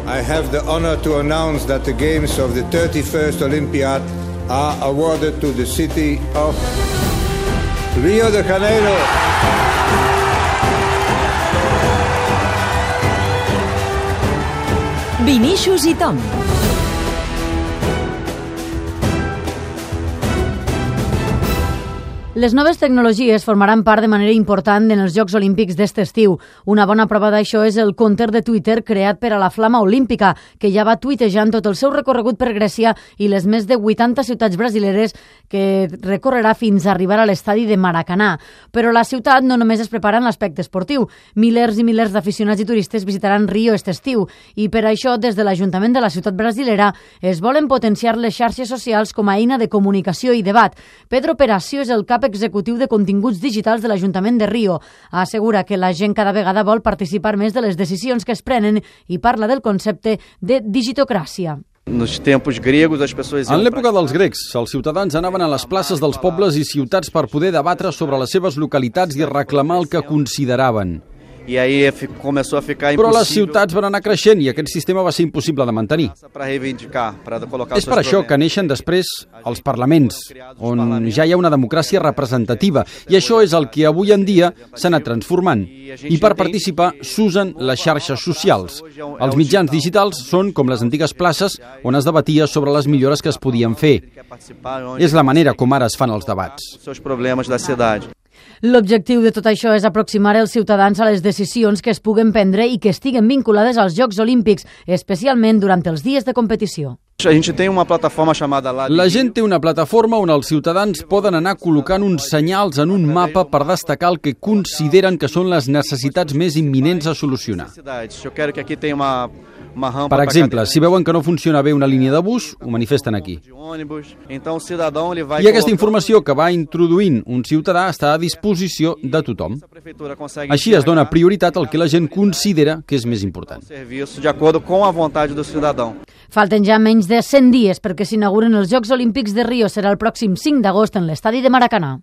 I have the honor to announce that the games of the 31st Olympiad are awarded to the city of Rio de Janeiro. Vinícius i Tom. Les noves tecnologies formaran part de manera important en els Jocs Olímpics d'est estiu. Una bona prova d'això és el compte de Twitter creat per a la Flama Olímpica, que ja va tuitejant tot el seu recorregut per Grècia i les més de 80 ciutats brasileres que recorrerà fins a arribar a l'estadi de Maracanà. Però la ciutat no només es prepara en l'aspecte esportiu. Milers i milers d'aficionats i turistes visitaran Rio aquest estiu i per això des de l'Ajuntament de la ciutat brasilera es volen potenciar les xarxes socials com a eina de comunicació i debat. Pedro Peracio és el cap executiu de continguts digitals de l'Ajuntament de Rio. Assegura que la gent cada vegada vol participar més de les decisions que es prenen i parla del concepte de digitocràcia. En l'època dels grecs, els ciutadans anaven a les places dels pobles i ciutats per poder debatre sobre les seves localitats i reclamar el que consideraven. Però les ciutats van anar creixent i aquest sistema va ser impossible de mantenir. És per això que neixen després els parlaments, on ja hi ha una democràcia representativa, i això és el que avui en dia s'ha anat transformant. I per participar s'usen les xarxes socials. Els mitjans digitals són com les antigues places on es debatia sobre les millores que es podien fer. És la manera com ara es fan els debats. L'objectiu de tot això és aproximar els ciutadans a les decisions que es puguen prendre i que estiguen vinculades als Jocs Olímpics, especialment durant els dies de competició. La gent té una plataforma on els ciutadans poden anar col·locant uns senyals en un mapa per destacar el que consideren que són les necessitats més imminents a solucionar. Per exemple, si veuen que no funciona bé una línia de bus, ho manifesten aquí. I aquesta informació que va introduint un ciutadà està a disposició de tothom. Així es dona prioritat al que la gent considera que és més important. Falten ja menys de 100 dies perquè s'inauguren els Jocs Olímpics de Rio. Serà el pròxim 5 d'agost en l'estadi de Maracanà.